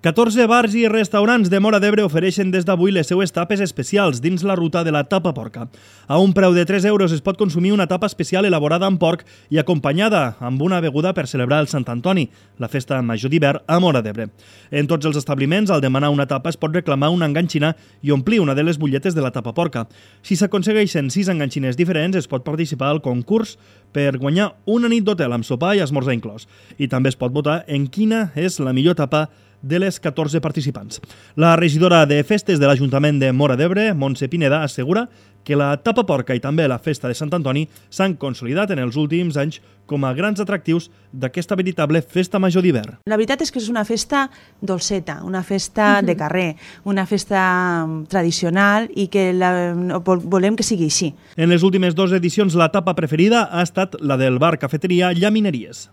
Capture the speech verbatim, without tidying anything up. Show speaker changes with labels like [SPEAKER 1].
[SPEAKER 1] catorze bars i restaurants de Móra d'Ebre ofereixen des d'avui les seues tapes especials dins la ruta de la tapa porca. A un preu de tres euros es pot consumir una tapa especial elaborada amb porc i acompanyada amb una beguda per celebrar el Sant Antoni, la festa major d'hivern a Móra d'Ebre. En tots els establiments, al demanar una tapa es pot reclamar una enganxina i omplir una de les butlletes de la tapa porca. Si s'aconsegueixen sis enganxines diferents, es pot participar al concurs per guanyar una nit d'hotel amb sopar i esmorzar inclòs. I també es pot votar en quina és la millor tapa de les catorze participants. La regidora de Festes de l'Ajuntament de Móra d'Ebre, Montse Pineda, assegura que la tapa porca i també la festa de Sant Antoni s'han consolidat en els últims anys com a grans atractius d'aquesta veritable festa major d'hivern.
[SPEAKER 2] La veritat és que és una festa dolceta, una festa de carrer, una festa tradicional i que la, volem que sigui així.
[SPEAKER 1] En les últimes dues edicions la tapa preferida ha estat la del bar cafeteria Llamineries.